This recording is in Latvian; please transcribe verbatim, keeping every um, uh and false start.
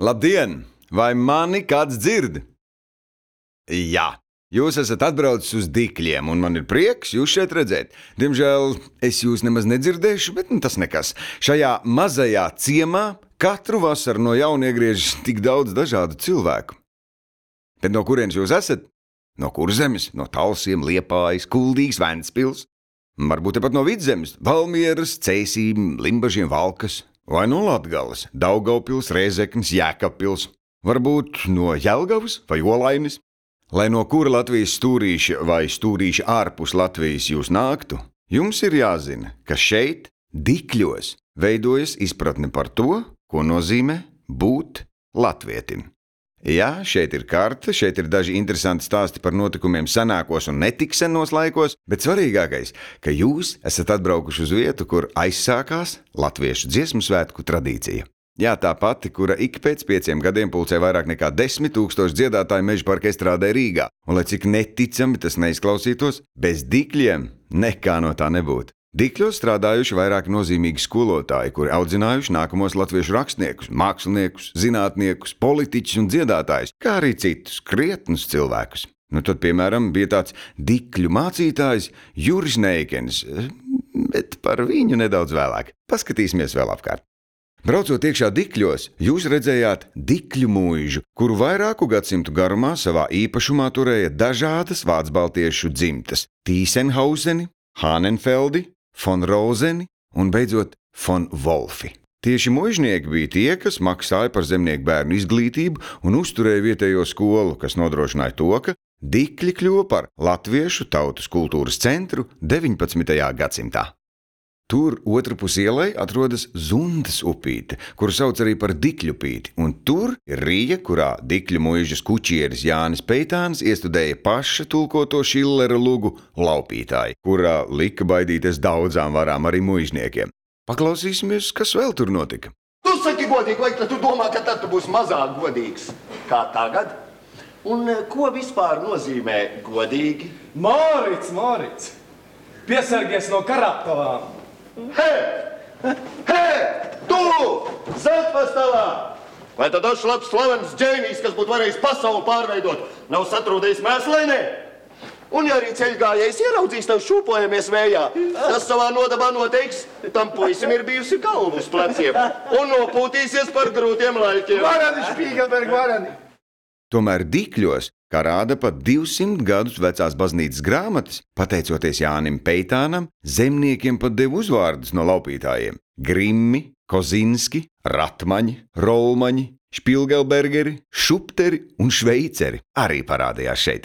Labdien! Vai mani kāds dzird? Jā, jūs esat atbraucis uz Dikļiem, un man ir prieks jūs šeit redzēt. Diemžēl es jūs nemaz nedzirdēšu, bet nu, tas nekas. Šajā mazajā ciemā katru vasaru no jauna iegriežas tik daudz dažādu cilvēku. Bet no kurienes jūs esat? No Kurzemes, no Talsiem, Liepājas, Kuldīgas, Ventspils. Varbūt tepat no Vidzemes, Valmieras, Cēsīm, Limbažiem, Valkas. Vai no Latgales, Daugavpils, Rēzeknes, Jēkabpils. Varbūt no Jelgavas vai Olainis. Lai no kura Latvijas stūrīša vai stūrīša ārpus Latvijas jūs nāktu, jums ir jāzina, ka šeit, Dikļos, veidojas izpratne par to, ko nozīmē būt latvietim. Jā, šeit ir karte, šeit ir daži interesanti stāsti par notikumiem senākos un netik senos laikos, bet svarīgākais, ka jūs esat atbraukuši uz vietu, kur aizsākās latviešu dziesmu svētku tradīcija. Jā, tā pati, kura ik pēc pieciem gadiem pulcē vairāk nekā desmit tūkstoši dziedātāju Mežaparka estrādē Rīgā, un lai cik neticami tas neizklausītos, bez Dikļiem nekā no tā nebūtu. Dikļos strādājuši vairāki nozīmīgi skolotāji, kuri audzinājuši nākamos latviešu rakstniekus, māksliniekus, zinātniekus, politiķus un dziedātājus, kā arī citus krietnus cilvēkus. Nu tad, piemēram, bija tāds Dikļu mācītājs Juris Neikens, bet par viņu nedaudz vēlāk. Paskatīsimies vēl apkārt. Braucot iekšā Dikļos, jūs redzējāt Dikļu mūžu, kuru vairāku gadsimtu garumā savā īpašumā turēja dažādas vācbaltiešu dzimtas – Tīsenhauseni, Hānenfeldi, Fon Rozeni un beidzot Fon Wolfi. Tieši muižnieki bija tie, kas maksāja par zemnieku bērnu izglītību un uzturēja vietējo skolu, kas nodrošināja to, ka Dikļi kļuva par latviešu tautas kultūras centru deviņpadsmitajā gadsimtā. Tur otrpus ielai atrodas Zundas upīte, kuru sauc arī par Dikļupīti, un tur ir rija, kurā Dikļu muižas kučieris Jānis Peitāns iestudēja paša tulkoto Šillera lugu Laupītāji, kurā lika baidīties daudzām varām arī muižniekiem. Paklausīsimies, kas vēl tur notika. Tu saki godīgi, vai tu domā, ka tad tu būsi mazāk godīgs kā tagad? Un ko vispār nozīmē godīgi? Mārits, Mārits, piesargies no karaptavām! Hei! Hei! Tu! Zeltpastāvā! Vai tad dažs labs slavens džēnijs, kas būtu varējis pasauli pārveidot, nav satrūdējis mēslēnē? Un ja arī ceļgājējs ieraudzīs tev šūpojamies vējā, tas savā nodabā noteiks, tam puisim ir bijusi galva uz pleciem un nopūtīsies par grūtiem laikiem. Varani, Špīgelberg, varani! Tomēr Dikļos, kā rāda pat divsimt gadus vecās baznīcas grāmatas, pateicoties Jānim Peitānam, zemniekiem pat deva uzvārdus no laupītājiem – Grimmi, Kozinski, Ratmaņi, Rolmaņi, Špilgelbergeri, Šupteri un Šveiceri arī parādījās šeit.